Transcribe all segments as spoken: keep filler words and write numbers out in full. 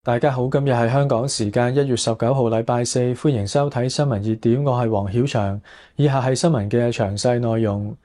大家好，今日係香港時間一月十九號，禮拜四，歡迎收睇新聞熱點，我係黃曉翔。以下係新聞嘅詳細內容。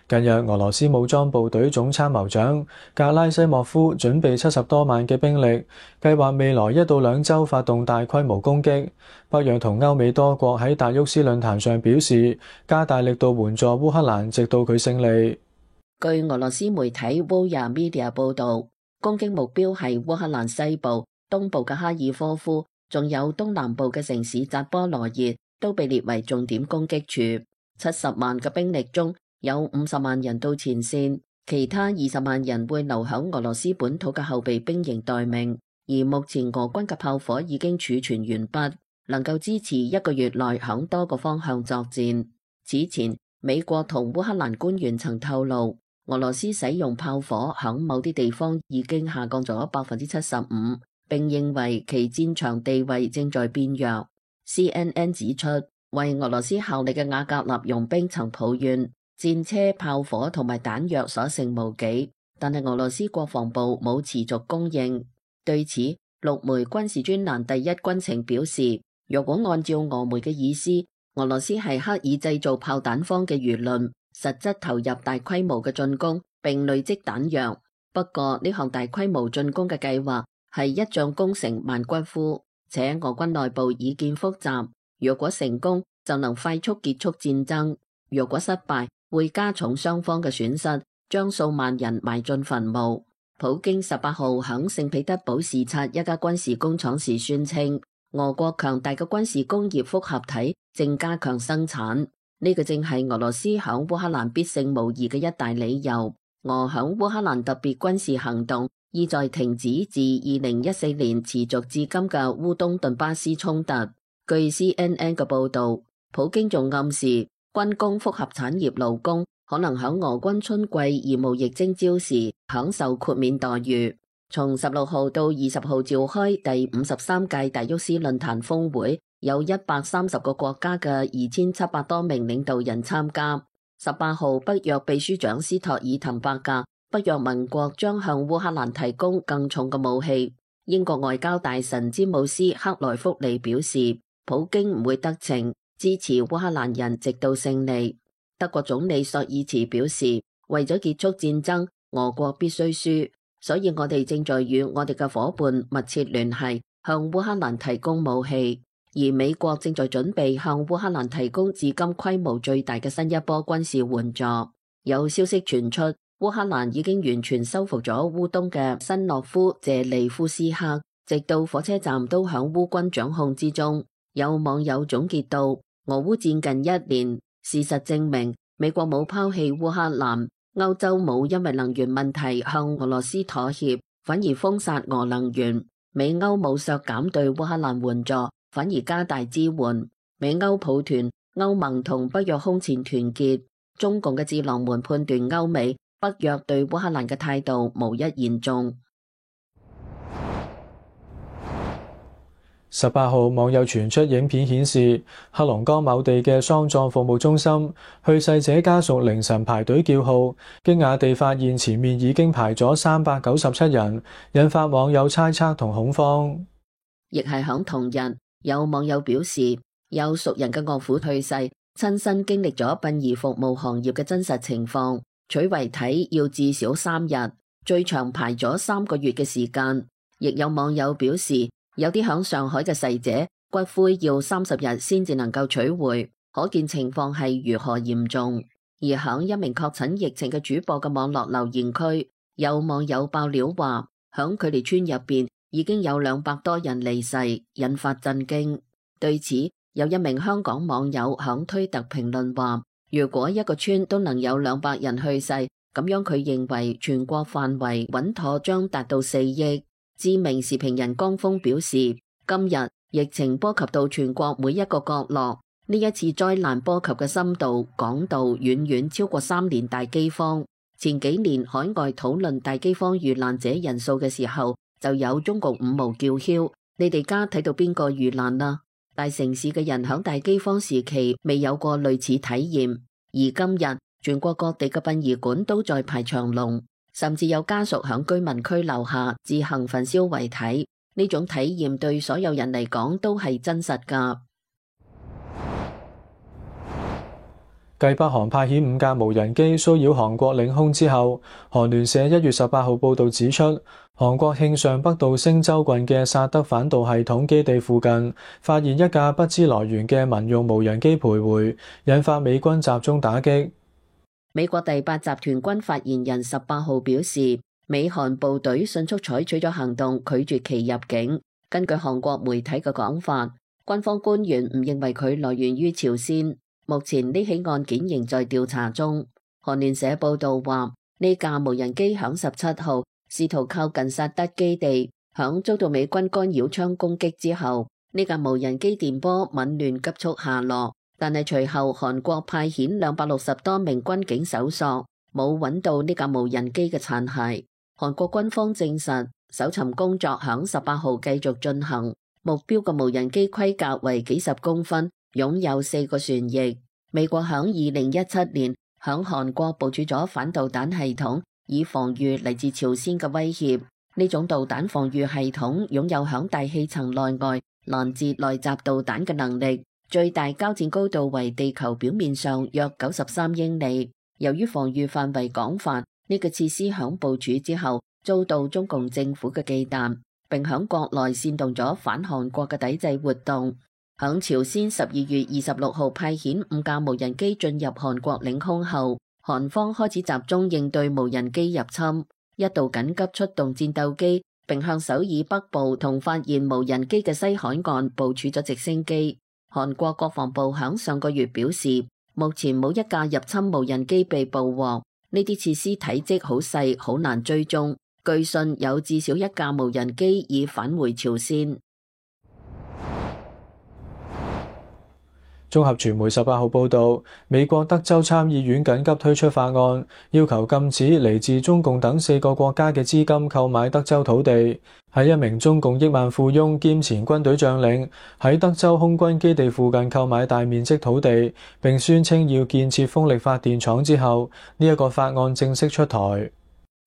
近日，俄羅斯武裝部隊總參謀長格拉西莫夫準備七十多萬嘅兵力，計劃未來一到兩周發動大規模攻擊。北約同歐美多國喺達沃斯論壇上表示，加大力度援助烏克蘭，直到佢勝利。據俄羅斯媒體 Voya Media 報道，攻擊目標係烏克蘭西部、東部嘅哈爾科夫，仲有東南部嘅城市扎波羅熱，都被列為重點攻擊處。七十萬嘅兵力中有五十萬人到前線，其他二十萬人會留響俄羅斯本土嘅後備兵營待命。而目前俄軍嘅炮火已經儲存完畢，能夠支持一個月內響多個方向作戰。此前，美國同烏克蘭官員曾透露，俄羅斯使用炮火響某啲地方已經下降咗百分之七十五，並認為其戰場地位正在變弱。C N N 指出，為俄羅斯效力嘅瓦格納傭兵曾抱怨戰車、炮火同埋彈藥所剩無幾，但係俄羅斯國防部冇持續供應。對此，陸媒軍事專欄第一軍情表示，若果按照俄媒嘅意思，俄羅斯係刻意製造炮彈荒嘅輿論，實質投入大規模嘅進攻並累積彈藥。不過呢項大規模進攻嘅計劃係一將功成萬骨枯，且俄軍內部意見複雜。若果成功，就能快速結束戰爭；若果失敗，會加重雙方嘅損失，將數萬人埋進墳墓。普京十八號響聖彼得堡視察一家軍事工廠時宣稱，俄國強大嘅軍事工業複合體正加強生產，呢個正係俄羅斯響烏克蘭必勝無疑嘅一大理由。俄響烏克蘭特別軍事行動意在停止自二零一四年持續至今嘅烏東頓巴斯衝突。據 C N N 嘅報道，普京仲暗示軍工複合產業勞工可能響俄軍春季義務役徵召時享受豁免待遇。從十六號到二十號召開第五十三屆達沃斯論壇峰會，有一百三十個國家嘅二千七百多名領導人參加。十八號，北約秘書長斯托爾滕伯格，北約盟國將向烏克蘭提供更重嘅武器。英國外交大臣詹姆斯克萊福利表示，普京唔會得逞，支持烏克蘭人直到勝利。德國總理朔爾茨表示，為咗結束戰爭，俄國必須輸，所以我哋正在與我哋嘅夥伴密切聯繫，向烏克蘭提供武器。而美國正在準備向烏克蘭提供至今規模最大嘅新一波軍事援助。有消息傳出，烏克蘭已經完全收復咗烏東嘅新諾夫謝利夫斯克，直到火車站都響烏軍掌控之中。有網友總結到，俄烏戰近一年，事實證明美國冇拋棄烏克蘭，歐洲冇因為能源問題向俄羅斯妥協，反而封殺俄能源。美歐冇削減對烏克蘭援助，反而加大支援。美歐抱團，歐盟同北約空前團結。中共嘅智囊們判斷歐美、北約對烏克蘭嘅態度無一言中。十八號，網友傳出影片顯示，黑龍江某地嘅喪葬服務中心，去世者家屬凌晨排隊叫號，驚訝地發現前面已經排咗三百九十七人，引發網友猜測同恐慌。亦係響同日，有網友表示，有熟人嘅岳父去世，親身經歷咗殯儀服務行業嘅真實情況，取遺體要至少三日，最長排咗三個月嘅時間。亦有網友表示，有啲響上海嘅逝者骨灰要三十日先至能夠取回，可見情況係如何嚴重。而響一名確診疫情嘅主播嘅網絡留言區，有網友爆料話，響佢哋村入邊已經有兩百多人離世，引發震驚。對此，有一名香港網友響推特評論話，如果一個村都能有兩百人去世，咁樣佢認為全國範圍穩妥將達到四億。知名時評人江峰表示，今日疫情波及到全國每一個角落，呢一次災難波及嘅深度、廣度遠遠超過三年大饑荒。前幾年海外討論大饑荒遇難者人數嘅時候，就有中共五毛叫囂，你哋家睇到邊個遇難啦？大城市嘅人響大饑荒時期未有過類似體驗，而今日全國各地嘅殯儀館都在排長龍。甚至有家屬響居民區樓下自行焚燒遺體，呢種體驗對所有人嚟講都係真實㗎。繼北韓派遣五架無人機騷擾韓國領空之後，韓聯社一月十八號報導指出，韓國慶尚北道星州郡嘅薩德反導系統基地附近發現一架不知來源嘅民用無人機徘徊，引發美軍集中打擊。美國第八集團軍發言人十八號表示，美韓部隊迅速採取咗行動，拒絕其入境。根據韓國媒體嘅講法，軍方官員唔認為佢來源於朝鮮。目前呢起案件仍在調查中。韓聯社報道話，呢架無人機響十七號試圖靠近薩德基地，響遭到美軍干擾槍攻擊之後，呢架無人機電波紊亂急速下落。但係隨後韓國派遣兩百六十多名軍警搜索，冇揾到呢架無人機嘅殘骸。韓國軍方證實，搜尋工作響十八號繼續進行。目標嘅無人機規格為幾十公分，擁有四個旋翼。美國響二零一七年響韓國部署咗反導彈系統，以防禦嚟自朝鮮嘅威脅。呢種導彈防禦系統擁有響大氣層內外攔截內襲導彈嘅能力，最大交戰高度為地球表面上約九十三英里。由於防禦範圍廣泛，呢個設施響部署之後遭到中共政府嘅忌憚，並響國內煽動咗反韓國嘅抵制活動。響朝鮮十二月二十六號派遣五架無人機進入韓國領空後，韓方開始集中應對無人機入侵，一度緊急出動戰鬥機，並向首爾北部同發現無人機嘅西海岸部署咗直升機。韓國國防部響上個月表示，目前冇一架入侵無人機被捕獲，呢啲設施體積好細，好難追蹤。據信有至少一架無人機已返回朝鮮。綜合傳媒十八號報導，美國德州參議院緊急推出法案，要求禁止嚟自中共等四個國家嘅資金購買德州土地。喺一名中共億萬富翁兼前軍隊將領喺德州空軍基地附近購買大面積土地，並宣稱要建設風力發電廠之後，呢一個法案正式出台。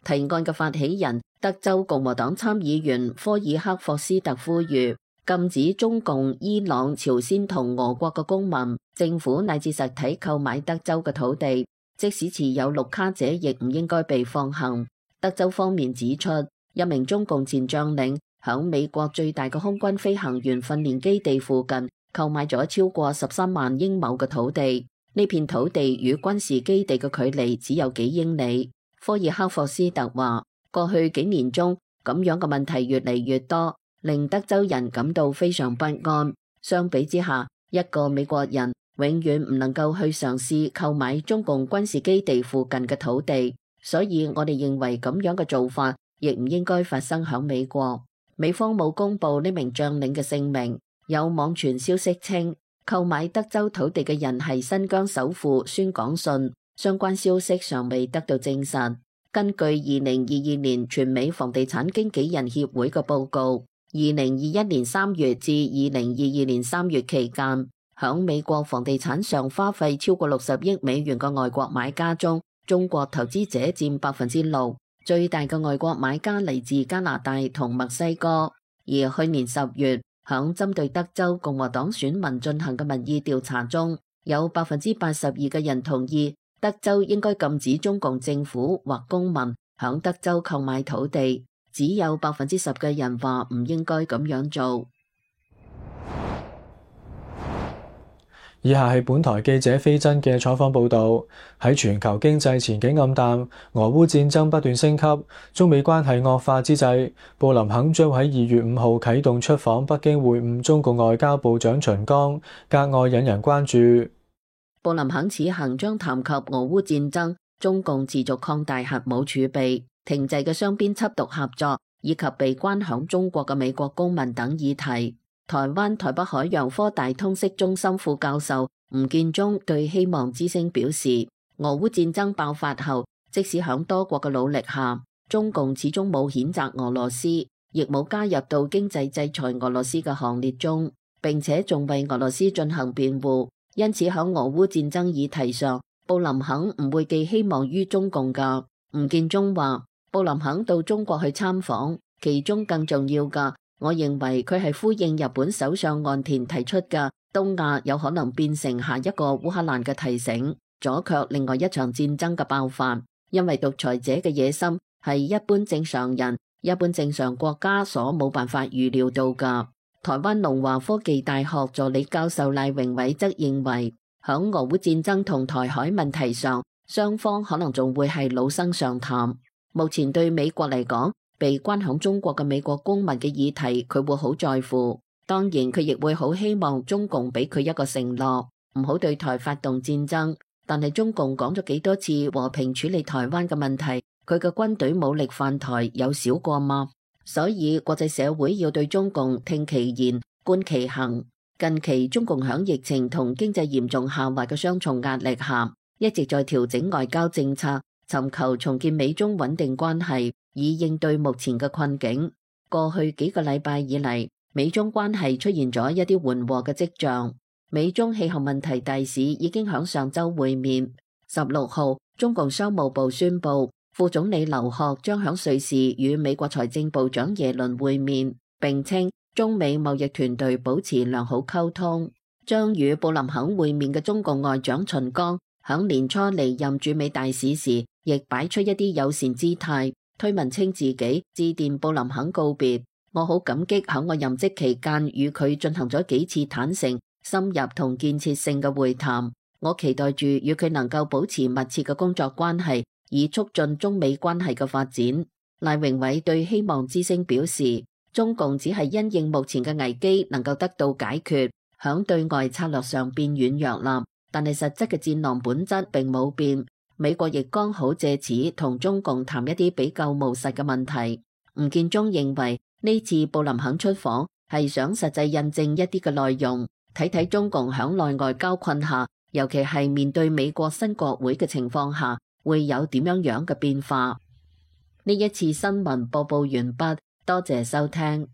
提案嘅發起人德州共和黨參議員科爾克霍斯特呼籲，禁止中共、伊朗、朝鮮同俄國嘅公民、政府乃至實體購買德州嘅土地，即使持有綠卡者亦唔應該被放行。德州方面指出，一名中共前將領響美國最大嘅空軍飛行員訓練基地附近購買咗超過十三萬英畝嘅土地，呢片土地與軍事基地嘅距離只有幾英里。科爾克霍斯特話，過去幾年中咁樣嘅問題越嚟越多，令德州人感到非常不安。相比之下，一個美國人永遠唔能夠去嘗試購買中共軍事基地附近嘅土地，所以我哋認為咁樣嘅做法亦唔應該發生響美國。美方冇公布呢名將領嘅姓名，有網傳消息稱購買德州土地嘅人係新疆首富孫廣信，相關消息尚未得到證實。根據二零二二年全美房地產經紀人協會嘅報告，二零二一年三月至二零二二年三月期間，響美國房地產上花費超過六十億美元嘅外國買家中，中國投資者佔百分之六，最大嘅外國買家嚟自加拿大同墨西哥。而去年十月，響針對德州共和黨選民進行嘅民意調查中，有百分之八十二嘅人同意德州應該禁止中共政府或公民響德州購買土地，只有百分之十嘅人話唔應該咁樣做。以下係本台記者飛真嘅採訪報導。喺全球經濟前景暗淡、俄烏戰爭不斷升級、中美關係惡化之際，布林肯將喺二月五號啟動出訪北京會晤中共外交部長秦剛，格外引人關注。布林肯此行將談及俄烏戰爭、中共持續擴大核武儲備、停滯嘅雙邊緝毒合作，以及被關響中國嘅美國公民等議題。台灣台北海洋科大通識中心副教授吳建中對希望之聲表示，俄烏戰爭爆發後，即使響多國嘅努力下，中共始終冇譴責俄羅斯，亦冇加入到經濟制裁俄羅斯嘅行列中，並且仲為俄羅斯進行辯護。因此喺俄烏戰爭議題上，布林肯唔會寄希望於中共㗎。吳建中話，布林肯到中國去參訪，其中更重要嘅我認為佢係呼應日本首相岸田提出嘅東亞有可能變成下一個烏克蘭嘅提醒，阻卻另外一場戰爭嘅爆發。因為獨裁者嘅野心係一般正常人、一般正常國家所冇辦法預料到㗎。台灣農華科技大學助理教授賴榮偉則認為，響俄烏戰爭同台海問題上，雙方可能仲會係老生常談。目前對美國嚟講，被關響中國嘅美國公民嘅議題，佢會好在乎。當然，佢亦會好希望中共俾佢一個承諾，唔好對台發動戰爭。但係中共講咗幾多次和平處理台灣嘅問題，佢嘅軍隊武力犯台有少過嗎？所以國際社會要對中共聽其言，觀其行。近期中共響疫情同經濟嚴重下滑嘅雙重壓力下，一直在調整外交政策，尋求重建美中穩定關係，以應對目前嘅困境。過去幾個禮拜以嚟，美中關係出現咗一啲緩和嘅跡象。美中氣候問題大使已經響上週會面。十六號，中共商務部宣布，副總理劉鶴將響瑞士與美國財政部長耶倫會面，並稱中美貿易團隊保持良好溝通。將與布林肯會面嘅中共外長秦剛，響年初離任駐美大使時，亦擺出一啲友善姿態，推文稱自己致電布林肯告別，我好感激響我任職期間與佢進行咗幾次坦誠、深入同建設性嘅會談，我期待住與佢能夠保持密切嘅工作關係，以促進中美關係嘅發展。賴榮偉對希望之聲表示，中共只係因應目前嘅危機能夠得到解決，響對外策略上變軟弱啦，但係實質嘅戰狼本質並冇變。美國亦剛好借此同中共談一啲比較務實嘅問題。吳建中認為呢次布林肯出訪係想實際印證一啲嘅內容。睇睇中共響內外交困下，尤其係面對美國新國會嘅情況下，會有點樣樣嘅變化。呢一次新聞播報完畢，多謝收聽。